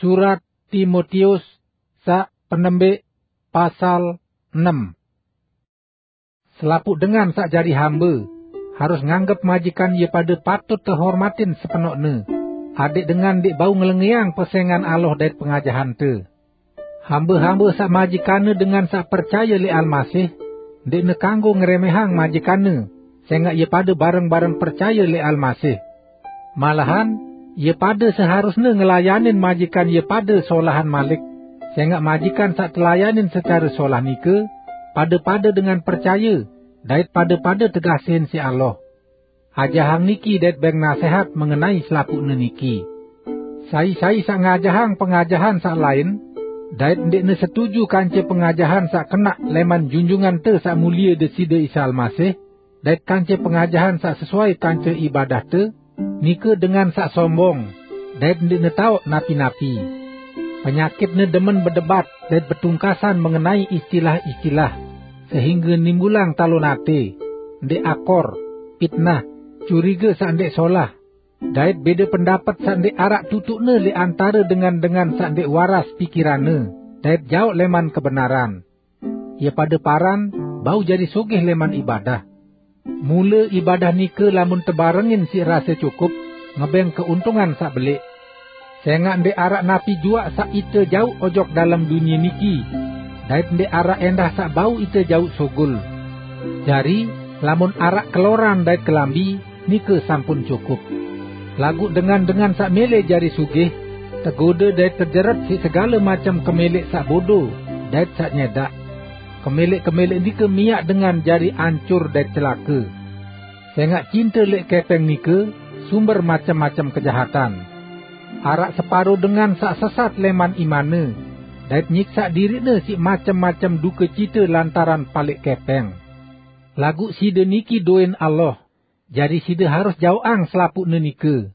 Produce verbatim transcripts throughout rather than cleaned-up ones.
Surat Timotius saq penembik, pasal enem. Selapuq dengan saq jari hambe, harus nganggep majikan ie pade patut tehormatin sepenoqne, adeq dengan ndeq bau ngelengeang pesengan Allah dait pengajahante. Hambe-hambe saq majikanne dengan saq percaye leq Almasih, ndeqne kanggo ngeremehang majikanne, sengaq ie pade bareng-bareng percaye leq Almasih. Malahan, ie pade seharusne ngelayanin majikan ie pade solahan malik, sengaq majikan saq telayanin secare solah nike, pade-pade dengan percaye, dait pade-pade tegasehin siq Allah. Ajahang niki dait beng nasehat mengenai selapuqne niki. Sai-sai saq ngajahang pengajahan saq lain, dait ndeqne setuju kance pengajahan saq kenaq leman Junjungante Saq Mulie Deside Isa Almasih, dait kance pengajahan saq sesuai kance ibadahte, nike dengan saq sombong, dait ndeqne taoq napi-napi. Penyakitne demen bedebat dait betungkasan mengenai istilah-istilah, sehingge nimbulang talon ate, ndeq akor, pitnah, curiga saq ndeq solah, dait bede pendapet saq ndeq araq tutuqne leq antare dengan-dengan saq ndeq waras pikiranne dait jaoq leman kebenaran. Ie pade paran bau jari sugih leman ibadah. Mule ibadah nike lamun tebarengin siq rase cukup, ngebeng keuntungan saq beleq. Sengaq ndeq araq napi juaq saq ite jauq ojok dalem dunie niki, dait ndeq araq endah saq bau ite jauq sugul. Jari, lamun araq keloran dait kelambi, nike sampun cukup. Laguq dengan-dengan saq mele jari sugih, tegode dait tejeret siq segale macem kemeleq saq bodo dait saq nyedaq. Kemeleq-kemeleq nike miaq dengan jari ancur dait celake. Sengaq cinte leq kepeng nike sumber macem-macem kejahatan. Araq separo dengan saq sesat leman imanne, dait nyiksaq diriqne siq macem-macem dukecite lantaran paleq kepeng. Laguq side niki doen Allah, jari side harus jaoqang selapuqne nike.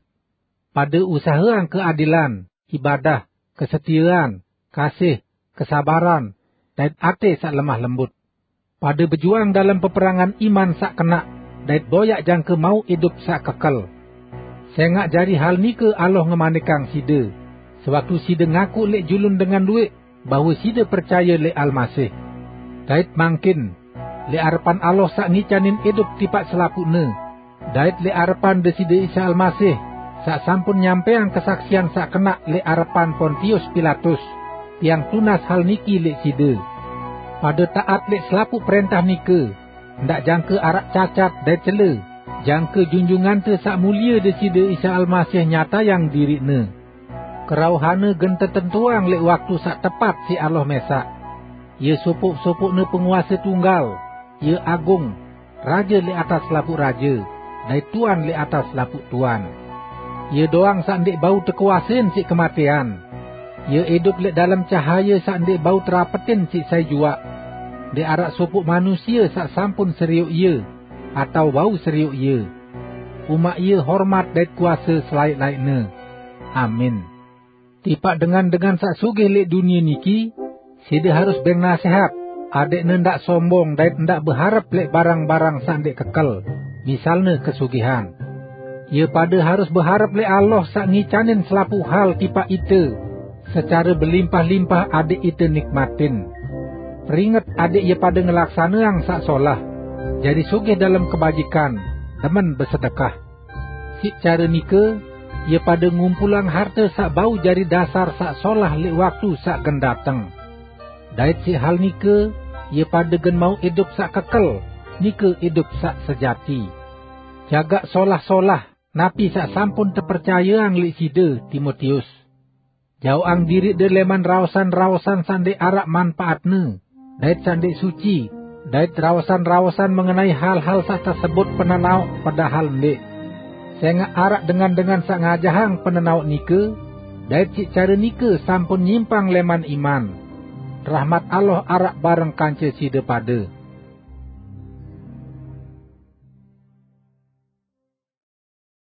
Pade usaheang keadilan, ibadah, kesetiean, kasih, kesabaran, dait ate saq lemah lembut. Pade bejuang dalem peperangan iman saq kenaq, dait boyaq jangke mauq idup saq kekel. Sengaq jari hal nike Allah ngemanikang side, sewaktu side ngaku leq julun dengan lueq bahwe side percaye leq Almasih. Dait mangkin, leq arepan Allah saq ngicanin idup tipaq selapuqne, dait leq arepan Deside Isa Almasih, saq sampun nyampeang kesaksian saq kenaq leq arepan Pontius Pilatus, tiang tunas hal niki leq side. Pade taat leq selapuq prentah nike, ndaq jangke araq cacat dait cele, jangke Junjungante Saq Mulie Deside Isa Almasih nyatayang diriqne. Kerauhanne gen tetentuang leq waktu saq tepat siq Allah mesaq. Ie sopoq-sopoqne penguase tunggal, ie agung, raje leq atas selapuq raje, dait tuan leq atas selapuq tuan. Ie doang saq ndeq bau tekuasein siq kematean. Ie idup leq dalem cahaye saq ndeq bau terapetin siq sai juaq. Ndeq araq sopoq manusie saq sampun serioq ie, atao bau serioq ie. Umaq ie hormat dait kuase selaeq-laeqne. Amin. Tipaq dengan-dengan saq sugih leq dunie niki, side harus beng nasehat, adeqne ndaq sombong dait ndaq beharep leq barang-barang saq ndeq kekel, misalne kesugihan. Ie pade harus beharep leq Allah saq ngicanin selapuq hal tipaq ite, secare belimpah-limpah adeq ite nikmatin. Peringet adeq ie pade ngelaksaneang saq solah, jari sugih dalem kebajikan, demen besedekah. Siq care nike, ie pade ngumpulang harte saq bau jari dasar saq solah leq waktu saq gen dateng. Dait siq hal nike, ie pade gen mauq idup saq kekel, nike idup saq sejati. Jagaq solah-solah napi saq sampun tepercayeang leq side, Timotius. Jaoqang diriqde leman raosan-raosan saq ndeq araq manpaatne, dait saq ndeq suci, dait raosan-raosan mengenai hal-hal saq tesebut penenaoq padahal ndeq. Sengaq araq dengan-dengan saq ngajahang penenaoq nike, dait siq care nike sampun nyimpang leman iman. Rahmat Allah araq bareng kance side pade.